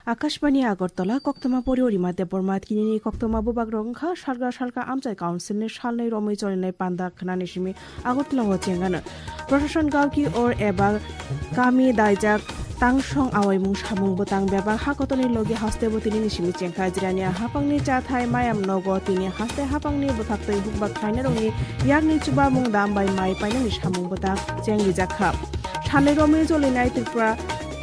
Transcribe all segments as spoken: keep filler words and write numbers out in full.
Akashbani Agartala, koktwma pori Orima Debbarma, tinini koktwma bubagrok wngkha salka salka amchai council ni salnwi romwi cholinai panda khwnani simi Agartala o chengano. Prashasan gao ki or eba kami daijak tangsong awaimung samung bwtang bebak ha kotorni logi haste bo tinini simi chengkha. Jirania hapangni chathai mayam nogo tini haste hapangni bwkhaktwi hukbak khlainarokni yakni chubamung dam bai mai painani samung bwtang chengrijakha. Salnwi romwi cholinai Tripura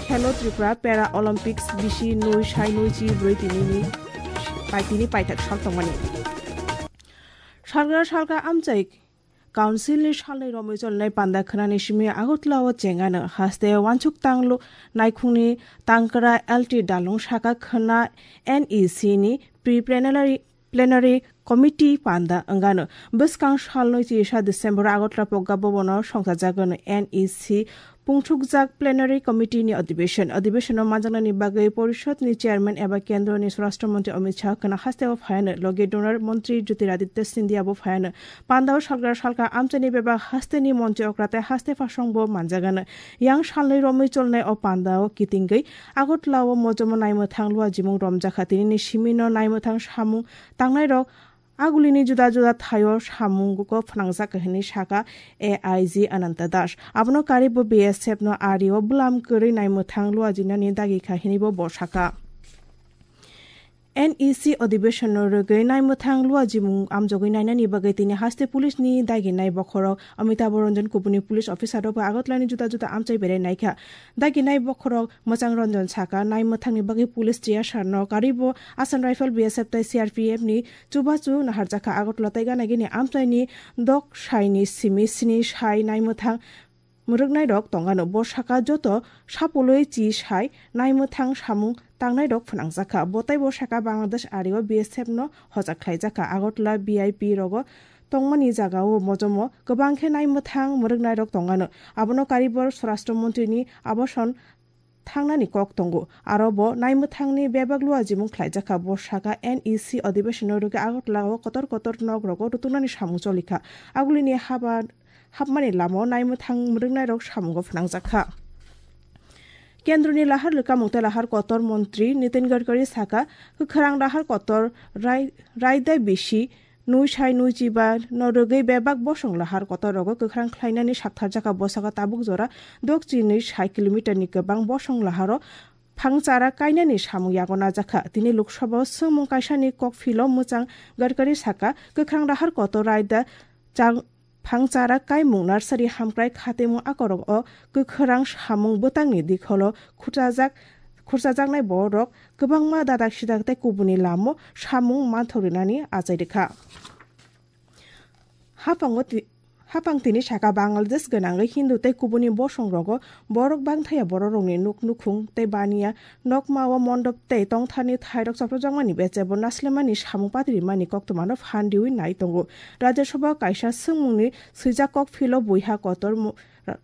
Khelo Tripura Para Olympics bisi nui sai nui chi brwi tinini pai tini paithak sal tongmani. Salgra salka amchai Council ni salnwi romwi cholinai panda khwnani simi Agartala o chengano haste wansuk tanglo naikhungni tangkra L T Dalung saka khwna N E C ni pre-plenary plenary committee panda wngano. Bwskang salnwi chisa December Agartala Pogga Bhavan o songchajagano N E C pungthukjak plenary committee ni adhibeshon. Adhibeshon o manjaknani bagwi porishod ni chairman eba kendro ni swarashtra mantri Amit Shah khwna haste o phaiano, logi donor mantri Jyotiraditya Scindia bo phaiano. Panda o salgra salka amchaini bebak haste ni mantri okra tei haste phasong bo manjagano. Yang salnwi romwi cholnai o panda o kitingwi Agartala o mojomo naimwthang luajimung romjakha. Tinini simi no naimwthang samung tangnai rok agulini juda juda thaio samungo phwnangjak hinwi saka A I G Ananta Das. Abono karibo B S F no ari o bwlam kwrwi naimwthang luajinani dagi kha hinwi bo bo saka. N E C adhibeshon no rwgwi naimwthang luajimung amjogwi nainani bagwi tini haste police ni daginai bokhorok Amitabh Ranjan kubuni police officer rok bo Agartala ni juda juda amchai berai naikha. Daginai bokhorok Mwchang Ranjan saka naimwthang ni bagwi police T S R no karibo Assam Rifle B S F tei C R P F ni chubachu naharjakha. Agartala tei ganagini amchaini dok saini simi sini sai naimwthang mwrwknairok tongano. Bo saka joto sapulwi chi sai naimwthang samung tangnairok phwnangjakha. Bo tei bo saka Bangladesh ario B S F no hojak khlaijakha. Agartala V I P rogo tongmani jagao mojomo kwbang khe naimwthang mwrwknairok tongano. Abono karibor Swarashtra Montri ni aboson thangnani kok tongo. Aro bo naimwthangni bebak luajimung khlaijakha. Bo saka N E C adhibeshonno rwgwi Agartala o kotor kotor nok rogo rutuknani samung cholikha. Agulini haba hapmani lama o naimwthang mwrwknairok samungo phwnangjakha. Kendroni lahar lwkamung tei lahar kotor montri Nitin Gadkari saka, kwkhrang lahar kotor rai-, raida bisi nui sai nui chiba no rwgwi bebak bosong lahar kotor rogo kwkhrang khlainani saktharjakha. Bo saka tabuk jora dok chinwi sai kilometer ni kwbang bosong laharo phangchara kainani samung yago najakha. Tini Lok Sabha o swngmung kaisani kok philo mwchang Gadkari saka, kwkhrang lahar kotor raida chang phangchara kaimung narsari hamkrai khatimung akorok o kwkhrang samung bwtangni dikholo khurchajak, khurchajaknai borok kwbangma dadak sidak tei kubuni lamo samung manthok rinani achai rikha. Haphango ti-, haphang tini saka Bangladesh gwnangwi Hindu tei kubuni bosong rogo borok bangthaya bororokni nuk nukhung tei baniya nokma o mondop tei tongtharni thairok chopropjakmani bechebo naslemani samung patirimani koktwmano phan riwi nai tongo. Rajya Sabha o kaisa swngmungni swijak kok philo buiha kotor mu-, ra-,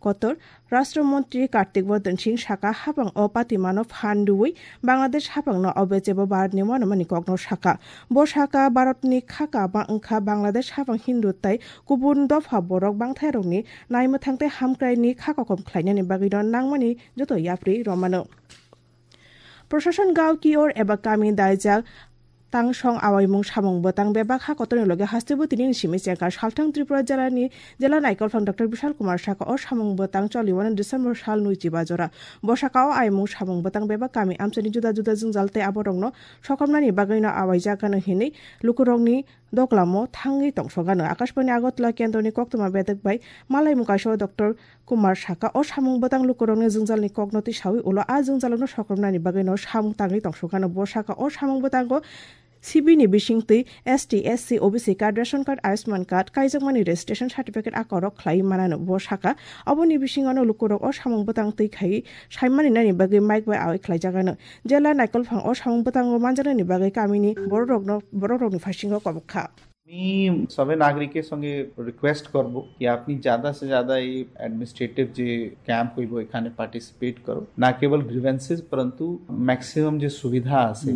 kotor Rashtra Montri Kartik Bardhan Singh saka, haphang o patimano phan riwi Bangladesh haphangno o bechebo Bharatni uanamani kokno saka. Bo saka, Bharatni kha kama wngkha Bangladesh haphang Hindu tei kubun dopha borok bangthairokni naimwthang tei hamkraini kha kokom khlainani bagwino nangmani joto yapri romano. Prashasan gao ki or eba kami daijak tangsong awaimung samung bwtang bebak ha kotorni loge hasteo tini ni simi chengkha. Salthang Tripura jelani jela naikolphang Doctor Bishal Kumar saka o samung bwtang choliwano December sal nui chiba jora. Bo saka o aimung samung bwtang bebak kami amchaini juda juda jwngjal tei aborokno sokomnani bagwino awaijakgano hinwi lukurokni doklamo thangwi tongsogano. Akashbani Agartala kendroni koktwma bedek bai malaimung kaisa o Doctor Kumar saka, o samung bwtang lukurokni jwngjalni kokno tisawi ulo a jwngjalono sokomnani bagwino samung tangwi tongsogano. Bo saka, o samung bwtango C B ni bisingtwi S T, S C, O B C card, ration card, Ayushman card, kaijakmani registration certificate a korok khlaiwi manano. Bo saka, oboni bisingono lukurok o samung bwtang twi khaiwi saimani nani bagwi mike bai awai khlaijagano. Jela naikolphang o samung bwtango manjaknani bagwi kamini bororokno, bororokni phasingo kobok kha. আমি সবে নাগরিকের সঙ্গে রিকোয়েস্ট করব কি আপনি ज़्यादा से ज़्यादा এই অ্যাডমিনিস্ট্রেটিভ যে ক্যাম্প হইব এখানে পার্টিসিপেট করো। না কেবল গ্রিভেন্সেস, পরন্তু ম্যাক্সিমাম যে সুবিধা আছে,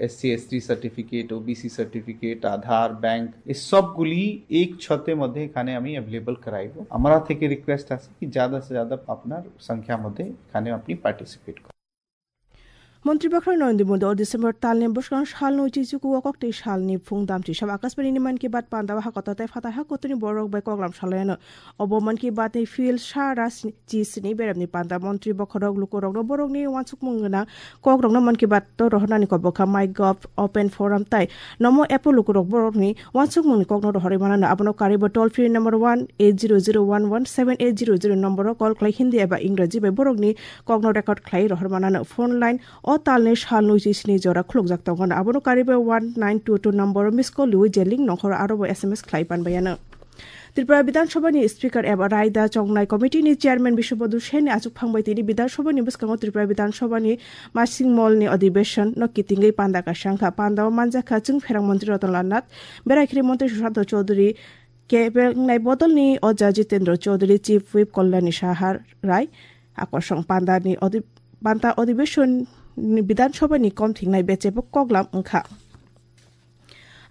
S C S T certificate, O B C certificate, Aadhaar, bank, এই সবগুলি এক ছাদের মধ্যে এখানে আমি অ্যাভেলেবল করাইব। আমরা থেকে রিকোয়েস্ট আছে কি ज़्यादा से ज़्यादा আপনার সংখ্যা মধ্যে এখানে আপনি পার্টিসিপেট করো। Montri Bakhra Narendra Modi o December talni bwskang salno chichuku o koktwi salni phung damchi sabo Akashbani ni Mann Ki Baat panda o hakotor tei phatar hakotorni borok bai koklam salaiyano. Obo Mann Ki Baat ni field sara chi sini beremni panda Montri bokhorok lukurokno borokni uansukmung gwnang kokrokno Mann Ki Baat o rohornani kobokha MyGov, Open Forum tei Namo app o lukurok borokni uansukmungni kokno rohorwi manano. Abono karwibo toll free number one eight zero zero one one seven eight zero zero number o call khlai Hindi eba Ingraji bai borokni kokno record khlai rohor manano. Phone line o talni salnwi chisni jora khulukjak tongo. Abono karwi bai one nine two two number o miss call rwi je link nongkhoro aro bo S M S khlai pan baiano. Tripura Bidhan Sabha ni Speaker eba Raida Chongnai Committee ni Chairman Biswabodhu Sen ni achuk phang bai tini Bidhan Sabha ni bwskango Tripura Bidhan Sabha ni Masing Mall ni Adhibeshon no kitingwi panda kaisa wngkha. Panda o manjakha Chwng Pherang Montri Ratan Lal Nath, Berai Khiri Montri Sushanta Chaudhary, Kebengnai Bodol ni Oja Jitendra Chaudhary, Chief Whip Kalyani Saha Rai, Akosong Panda ni Adhi-, Panda Adhibeshon ni Bidhan Sabha ni kom thingnai bechebo koklam wngkha.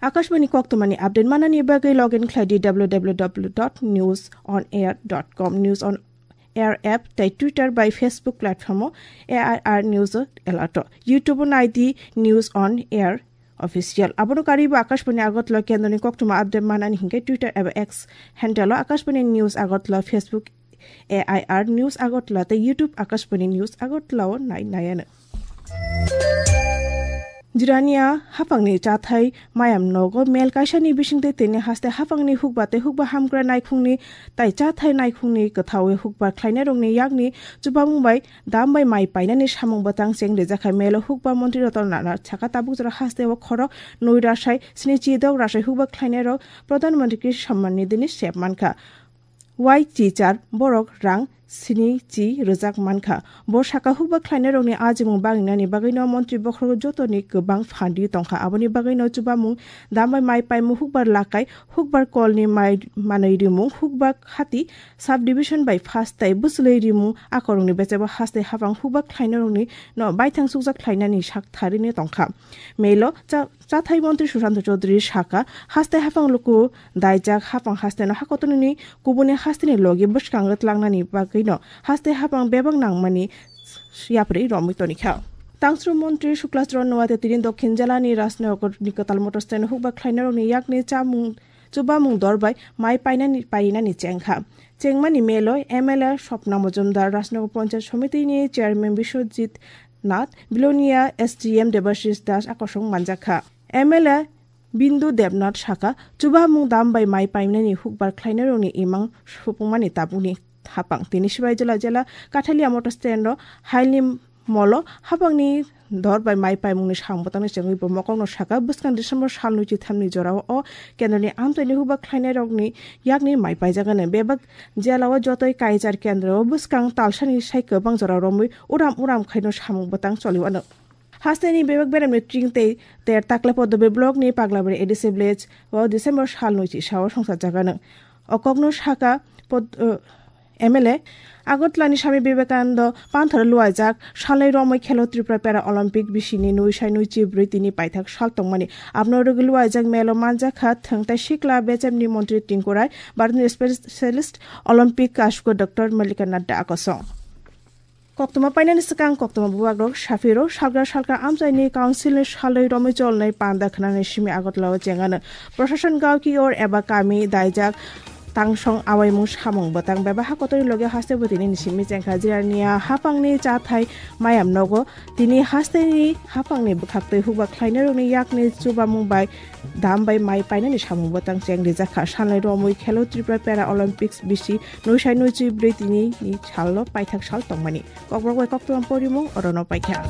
Akashbani koktwmani update manani bagwi log in khlai di W W W dot news on air dot com, News on Air app tei Twitter bai Facebook platform o A I R News o alert o, YouTube o nai di News on Air Official. Abono karwi bo Akashbani Agartala kendroni koktwma update manani hinkhe Twitter eba X handle o Akashbani News Agartala, Facebook A I R News Agartala tei YouTube Akashbani News Agartala o nai naiano. Jirania hapangni chathai mayam nogo mel kaisani bisingtwi tini haste hapangni hukba tei hukba hamkra naikhungni tai chathai naikhungni kwthawi hukba khlainairokni yakni chubamung bai dam bai mai painani samung bwtang cheng rijakha. Melo hukba montri Ratan Lal Nath saka tabuk jora haste o khorok nwi rasai sni chi dok rasai hukba khlainairok Pradhan Mantri Krishi Samman Nidhini sep mankha. Wai chichar borok rang sini chi rwjak mankha. Bo saka hukba khlainairokni ajimung baginani bagwino montri bokhorok jotoni kwbang phan ri tongkha. Aboni bagwino chubamung dam bai mai paimung hukbar lakai, hukbar kolni mai manwi rimung, hukba hati subdivision bai phas tei bwchwlwi rimung akorokni bechebo haste hapang hukba khlainairokni no baithang chukjak khlainani sak tharini tongkha. Melo cha-, chathai montri Sushanta Chaudhary saka, haste hapang luku daijak hapang hasteno hakotorni kubuni hasteni logi bwskango tlangnani bagwino haste hapang bebak nangmani yapri romwi tonikha. Tangsru montri Suklas Ron Noate tini Dokhin jelani Rajnagarni kwtal motor stand hukba khlainairokni yakni chamung chubamung dor bai mai painani painani chengkha. Chengmani melo M L A Swapna Majumdar, Rajnagar Panchayat Somitini Chairman Biswajit Nath, Bilonia S D M Debashish Das akosong manjakha. M L A Bindu Debnath saka, chubamung dam bai mai painani hukbar khlainairokni imang supungmani tabukni hapang. Tini Sibai Jila jela Kathalia motor stand o hailni molo hapangni dor bai mai paimungni samung bwtangni chengwi bo mokokno saka, bwskang December salnwi chithamni jorao o kendroni amchaini hukba khlainairokni yakni mai paijagano. Bebak jelao jotoi kaichar kendro o bwskang talsani sai kwbang jora romwi uram uram khaino samung bwtang choliwano. Hasteni bebak beremni tring tei ter takle Podobe block ni Paglabari A D C village o December salnwi chisao songsajagano. O kokno saka pod-, uh, M L A Agartala ni Swami Vivekananda Panthor luaijak salnwi romwi Khelo Tripura Para Olympic bisini nwi sai nwi chi bwrwi tini paithak sal tongmani. Abno rwgwi luaijak melo manjakha thwng tei sikla bechemni montri Tinku Rai, Bharatni Specialist Olympic kasuko Doctor Malika Nadda akosong. Koktwma painani swkang koktwma bubagrok saphiro salgra salka amchaini council ni salnwi romwi cholnai panda khnani simi Agartala o chengano. Prashasan gao ki or eba kami daijak tangsong awaimung samung bwtang bebak hakotorni logi haste bo tini ni simi chengkha. Jirania hapangni chathai mayam nogo tini hasteni hapangni bwkhaktwi hukba khlainairokni yakni chubamung bai dam bai mai painani samung bwtang cheng rijakha. Salnwi romwi Khelo Tripura Para Olympics bisi nwi sai nwi chi bwrwi tini ni salno paithak sal tongmani. Kokborok bai koktwma porimung orono paikha.